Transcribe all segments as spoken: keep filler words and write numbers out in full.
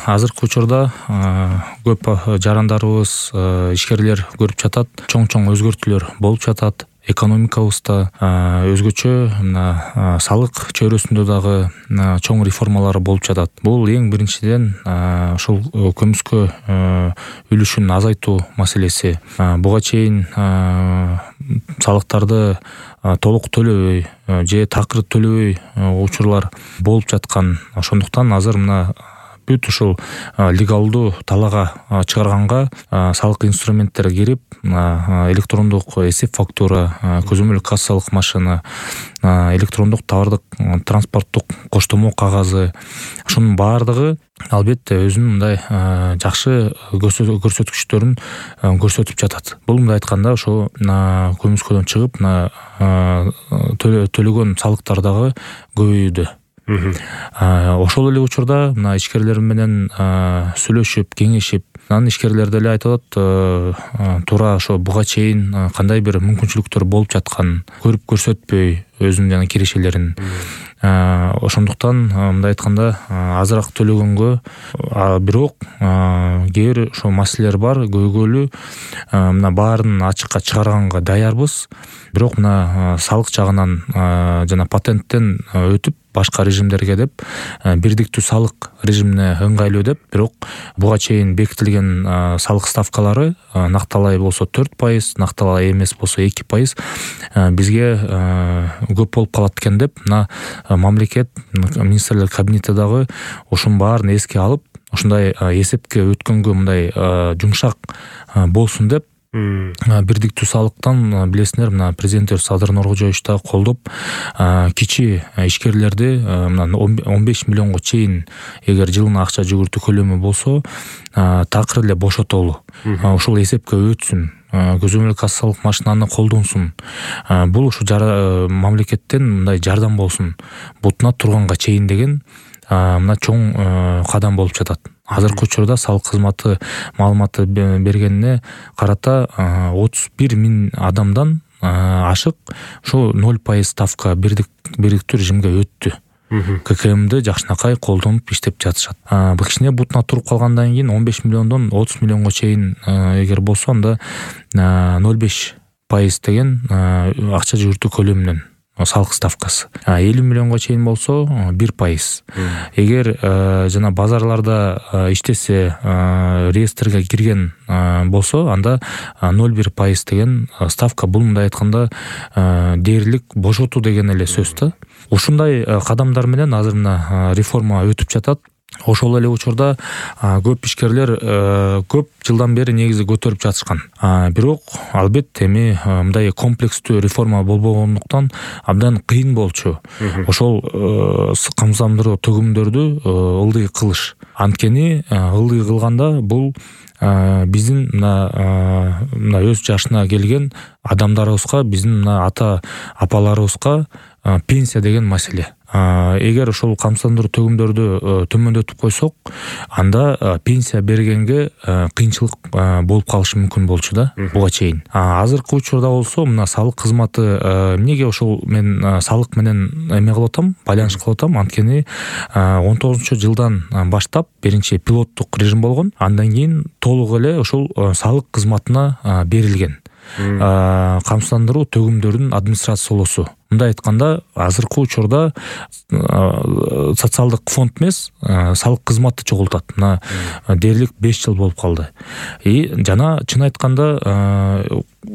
азыркы учурда көп жарандарыбыз, ишкерлер көрүп жатат, чоң-чоң өзгөртүүлөр болуп жатат. Экономикабызда өзгөчө мына салык чөйрөсүндө дагы чоң реформалар болуп жатат. Бул эң биринчиден ушул көмүскө үлүшүн азайтуу маселеси. Буга чейин салыктарды толук төлөбөй же такыр төлөбөй учурлар болуп жаткан. Ошондуктан азыр мына бүт ушул легалдуу талаага чыгарганга салык инструменттери кирип, электрондук эсеп фактура, көзөмөл кассалык машина, электрондук товардык транспорттук коштомо кагазы, ошонун баардыгы албетте өзүнүн мындай жакшы көрсөткүчтөрүн көрсөтүп жатат. Бул мындай айтканда ошо көмүскөдөн чыгып төлөгөн салыктар дагы көбөйүүдө. Ошол эле учурда мына ишкерлер менен сүйлөшүп, кеңешип, анан ишкерлер деле айтып атат, туура ошо буга чейин кандай бир мүмкүнчүлүктөр болуп жатканын көрүп көрсөтпөй өзүнүн жана кирешелерин. Ошондуктан мындай айтканда азыраак төлөгөнгө, бирок кээ бир ошо маселелер бар, көйгөйлүү. Мына баарын ачыкка чыгарганга даярбыз. Бирок мына салык жагынан жана патенттен өтүп башка режимдерге деп, бирдиктүү салык режимине ыңгайлуу деп, бирок буга чейин бекитилген салык ставкалары накталай болсо төрт пайыз, накталай эмес болсо эки пайыз бизге көп болуп калат экен деп, мына мамлекет министрлер кабинети дагы ушунун баарын эске алып, ушундай эсепке өткөнгө мындай жумшак болсун деп, бирдиктүү салыктан билесиңер, мына президент Садыр Нуркожоевич да колдоп, кичи ишкерлерди мына он беш миллионго чейин эгер жылына акча жүгүртүү көлөмү болсо, такыр эле бошотолу. Ушул эсепке өтсүн, көзөмөл кассалык машинаны колдонсун. Бул ушу мамлекеттен мындай жардам болсун, бутуна турганга чейин деген мына чоң кадам болуп жатат. Азыркы учурда салык кызматы маалыматы бергенине карата отуз бир миң адамдан ашык ушу ноль пайыз ставка бирдиктүү режимге өттү. ККМди жакшынакай колдонуп иштеп жатышат. Кичине бутуна туруп калгандан кийин он беш миллиондон отуз миллионго чейин эгер болсо, анда ноль беш пайыз деген акча жүгүртүү көлөмүнөн салык ставкасы. элүү миллионго чейин болсо бир пайыз. Эгер жана базарларда иштесе, реестрге кирген болсо, анда ноль бир пайыз деген ставка. Бул мындай айтканда дээрлик бошотуу деген эле сөз да. Ушундай кадамдар менен азыр мына реформа өтүп жатат. Ошол эле учурда көп ишкерлер көп жылдан бери негизи көтөрүп жатышкан. Бирок албетте эми мындай комплекстүү реформа болбогондуктан абдан кыйын болчу. Ошол камсыздандыруу төгүмдөрдү ылдый кылыш. Анткени ылдый кылганда бул биздин мына мына өз жашына келген адамдарыбызга, биздин мына ата апаларыбызга пенсия деген маселе. Эгер ошол камсыздандыруу төгүмдөрдү төмөндөтүп койсок, анда пенсия бергенге кыйынчылык болуп калышы мүмкүн болчу да буга чейин. Азыркы учурда болсо мына салык кызматы, эмнеге ошол мен салык менен эме кылып атам, байланыш кылып атам, анткени он тогузунчу жылдан баштап биринчи пилоттук режим болгон, андан кийин толук эле ошол салык кызматына берилген камсыздандыруу төгүмдөрүнүн администрациялоосу. Мындай айтканда, азыркы учурда социалдык фонд эмес, салык кызматты чогултат. Мына дээрлик беш жыл болуп калды. И жана чын айтканда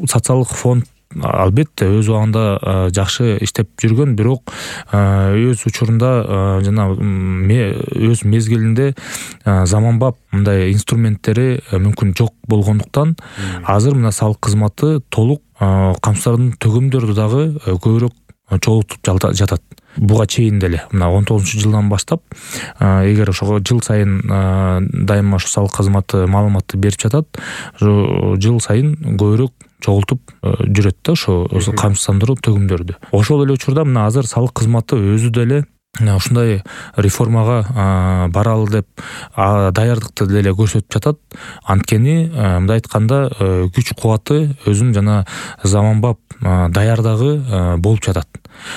социалдык фонд албетте өз убагында жакшы иштеп жүргөн, бирок өз учурунда жана өз мезгилинде заманбап мындай инструменттери мүмкүн жок болгондуктан азыр мына салык кызматы толук камсыздандыруу төгүмдөрдү дагы көбүрөөк чогултуп жатат. Буга чейин деле мына он тогузунчу жылдан баштап, эгер ошого жыл сайын дайыма ошо салык кызматы маалыматты берип жатат, жыл сайын көбүрөөк чогултуп жүрөт да ошо камсыздандыруу төгүмдөрдү. Ошол эле учурда мына азыр салык кызматы өзү деле ушундай реформага баралы деп даярдыкты деле көрсөтүп жатат. Анткени мындай айтканда күч кубаты өзүнүн жана заманбап даярдыгы болуп жатат.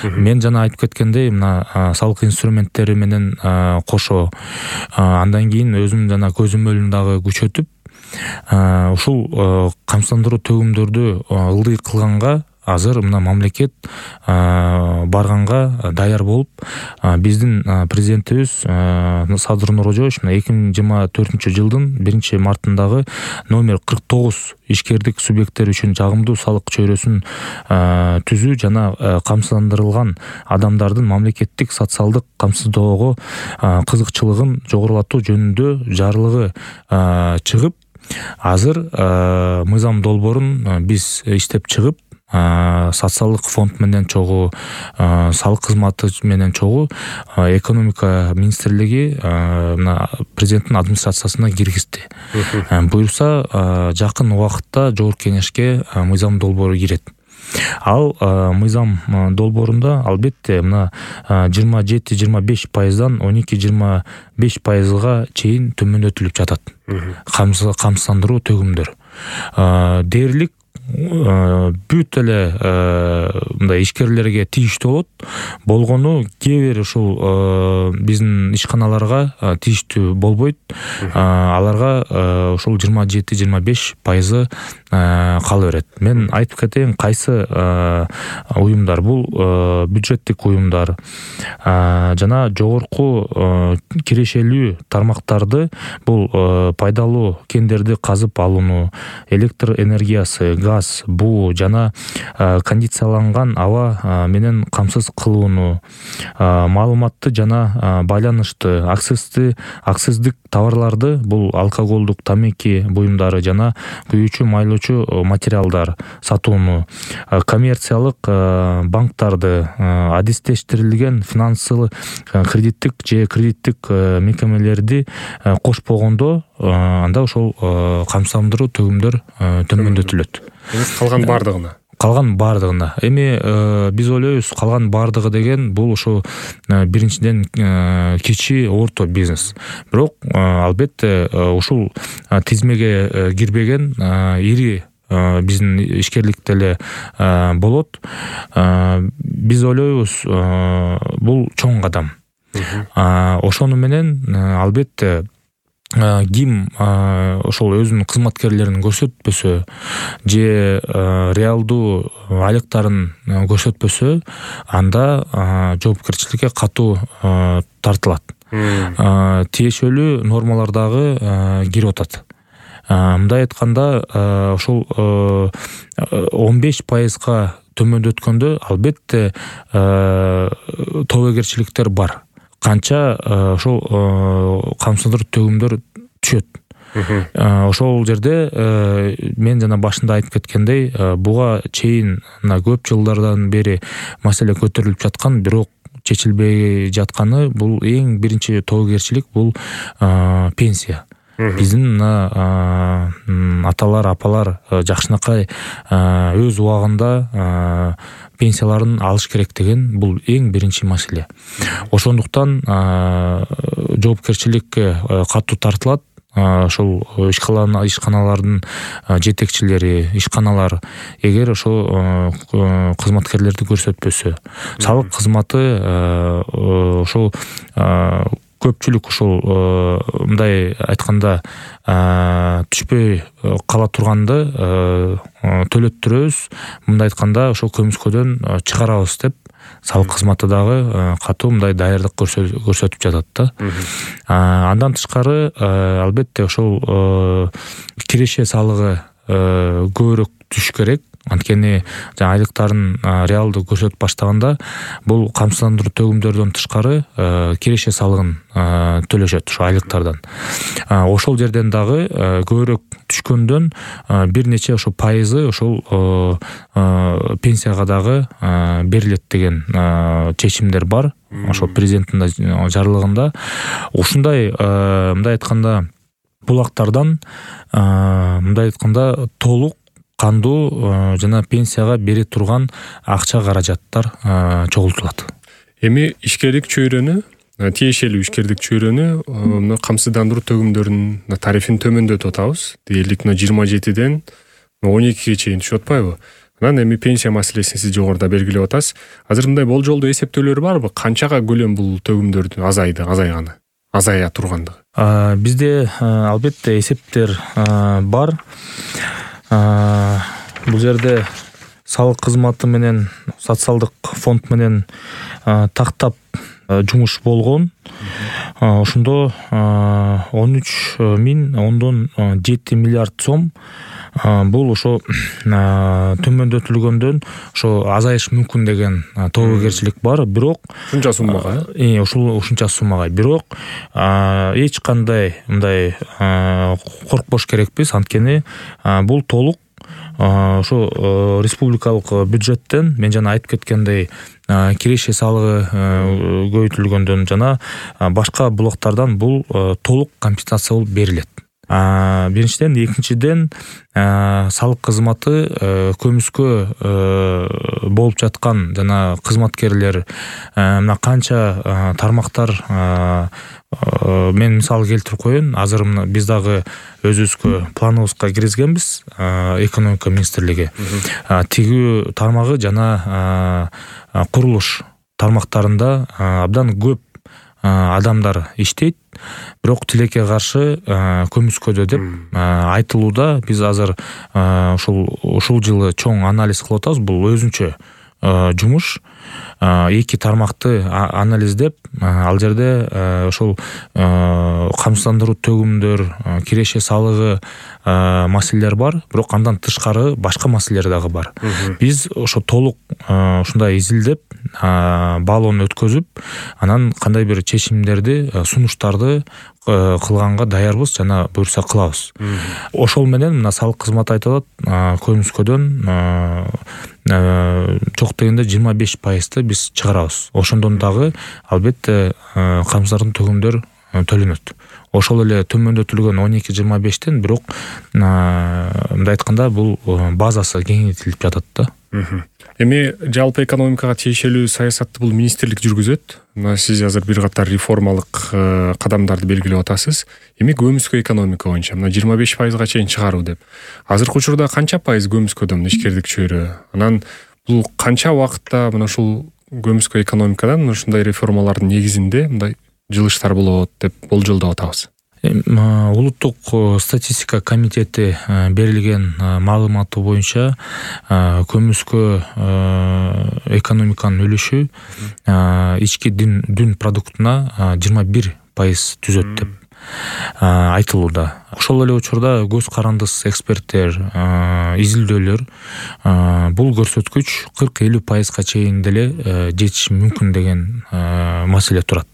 Мен жана айтып кеткендей, мына салык инструменттери менен кошо андан кийин өзүм жана көзөмөлүн дагы күчөтүп, ушул камсыздандыруу төгүмдөрдү ылдый кылганга азыр мына мамлекет барганга даяр болуп, биздин президентибиз Садыр Нуркожоевич эки миң жыйырма төртүнчү жылдын биринчи мартындагы номер кырк тогуз ишкердик субъекттери үчүн жагымдуу салык чөйрөсүн түзүү жана камсыздандырылган адамдардын мамлекеттик социалдык камсыздоого кызыкчылыгын жогорулатуу жөнүндө жарлыгы чыгып, азыр мыйзам долбоорун биз иштеп чыгып, социалдык фонд менен чогуу, салык кызматы менен чогуу экономика министрлиги мына президенттин администрациясына киргизди. Буюрса жакын убакытта жогорку кеңешке мыйзам долбоору кирет. Ал мыйзам долбоорунда албетте мына жыйырма жети жыйырма беш пайыздан он эки жыйырма беш пайызга чейин төмөндөтүлүп жатат камсыздандыруу төгүмдөр. Дээрлик бүт эле мындай ишкерлерге тийиштүү болот. Болгону кээ бир ушул биздин ишканаларга тийиштүү болбойт. Аларга ушул жыйырма жети жыйырма беш пайызы кала берет. Мен айтып кетейин, кайсы уюмдар бул бюджеттик уюмдар жана жогорку кирешелүү тармактарды, бул пайдалуу кендерди казып алууну, электр энергиясы, газ, буу жана кондицияланган аба менен камсыз кылууну, маалыматты жана байланышты, акцизди акциздик товарларды, бул алкоголдук тамеки буюмдары жана күйүүчү майлоочу материалдар сатууну, коммерциялык банктарды, адистештирилген финансылык кредиттик же кредиттик мекемелерди кошпогондо, анда ошол камсыздандыруу төгүмдөр төмөндөтүлөт. Калган бардыгына. Калган бардыгына. Эми биз ойлойбуз, калган бардыгы деген бул ошо биринчиден кичи орто бизнес. Бирок албетте ушул тизмеге кирбеген ири биздин ишкерлик деле болот. Биз ойлойбуз, бул чоң кадам. Ошону менен албетте ким ошол өзүнүн кызматкерлерин көрсөтпөсө же реалдуу айлыктарын көрсөтпөсө, анда жоопкерчиликке катуу тартылат. Тиешелүү нормалар дагы кирип атат. Мындай айтканда, ошол он беш пайызга төмөндөткөндө албетте тобокерчиликтер бар. Канча ошол камсыздандыруу төгүмдөр түшөт. Ошол жерде мен жана башында айтып кеткендей, буга чейин мына көп жылдардан бери маселе көтөрүлүп жаткан, бирок чечилбей жатканы, бул эң биринчи тобокерчилик, бул пенсия. Биздин мына аталар, апалар жакшынакай өз убагында пенсияларын алыш керек деген, бул эң биринчи маселе. Ошондуктан жоопкерчиликке катуу тартылат. Ошол ишканалардын жетекчилери, ишканалар эгер ошо кызматкерлерди көрсөтпөсө, салык кызматы ошол көпчүлүк ушул мындай айтканда түшпөй кала турганды төлөттүрөбүз, мындай айтканда ошол көмүскөдөн чыгарабыз деп салык кызматы дагы катуу мындай даярдык көрсөтүп жатат да. Андан тышкары албетте ошол киреше салыгы көбүрөөк түшүш керек. Анткени айлыктарын реалдуу көрсөтүп баштаганда, бул камсыздандыруу төгүмдөрдөн тышкары киреше салыгын төлөшөт ошо айлыктардан. Ошол жерден дагы көбүрөөк түшкөндөн бир нече ошо пайызы ошол пенсияга дагы берилет деген чечимдер бар. Ошол президенттин жарлыгында. Ушундай мындай айтканда булактардан мындай айтканда толук кандуу жана пенсияга бере турган акча каражаттар чогултулат. Эми ишкерлик чөйрөнү, тиешелүү ишкерлик чөйрөнү мына камсыздандыруу төгүмдөрүнүн тарифин төмөндөтүп атабыз. Дээрлик жыйырма жетиден он экиге чейин түшүп атпайбы? Анан эми пенсия маселесин сиз жогоруда белгилеп атасыз. Азыр мындай болжолдуу эсептөөлөр барбы? Канчага көлөм бул төгүмдөрдүн азайды, азайганы, азая тургандыгы? Бизде албетте эсептер бар. Бул жерде салык кызматы менен социалдык фонд менен тактап жумуш болгон. Ошондо он үч миң ондон жети миллиард сом бул ошо төмөндөтүлгөндөн ошо азайыш мүмкүн деген тобокерчилик бар. Бирок ушунча суммага, э ушул ушунча суммага. Бирок эч кандай мындай коркпош керекпиз, анткени бул толук ошо республикалык бюджеттен, мен жана айтып кеткендей, киреше салыгы көбөйтүлгөндөн жана башка блоктардан бул толук компенсация болуп берилет. Биринчиден, экинчиден, салык кызматы көмүскө болуп жаткан жана кызматкерлер мына канча тармактар, мен мисал келтирип коеюн. Азыр мына биз дагы өзүбүзгө планыбызга киргизгенбиз, экономика министрлиги. Тигүү тармагы жана курулуш тармактарында абдан көп адамдар иштейт, бирок тилекке каршы көмүскөдө деп айтылууда. Биз азыр ушул ушул жылы чоң анализ кылып атабыз. Бул өзүнчө жумуш. Эки тармакты анализдеп, ал жерде ошол камсыздандыруу төгүмдөр, киреше салыгы маселелер бар, бирок андан тышкары башка маселелер дагы бар. Биз ошо толук ушундай изилдеп, баалоону өткөзүп, анан кандай бир чечимдерди, сунуштарды кылганга даярбыз жана буюрса кылабыз. Ошол менен мына салык кызматы айтып атат, көмүскөдөн жок дегенде жыйырма беш пайызды биз чыгарабыз. Ошондон дагы албетте камсыздардын төгүмдөр төлөнөт. Ошол эле төмөндөтүлгөн он эки жыйырма бештен, бирок мындай айтканда бул базасы кеңейтилип жатат да. Эми жалпы экономикага тиешелүү саясатты бул министрлик жүргүзөт. Мына сиз азыр бир катар реформалык кадамдарды белгилеп атасыз. Эми көмүскө экономика боюнча мына жыйырма беш пайызга чейин чыгаруу деп. Азыркы учурда канча пайыз көмүскөдө мына ишкердик чөйрө? Анан бул канча убакытта мына ушул көмүскө экономикадан ушундай реформалардын негизинде мындай жылыштар болот деп болжолдоп атабыз? Улуттук статистика комитети берилген маалыматы боюнча көмүскө экономиканын үлүшү ички дүн продуктуна жыйырма бир пайыз түзөт деп айтылууда. Ошол эле учурда көз карандыс эксперттер, изилдөөлөр бул көрсөткүч кырк элүү пайызга чейин деле жетиши мүмкүн деген маселе турат.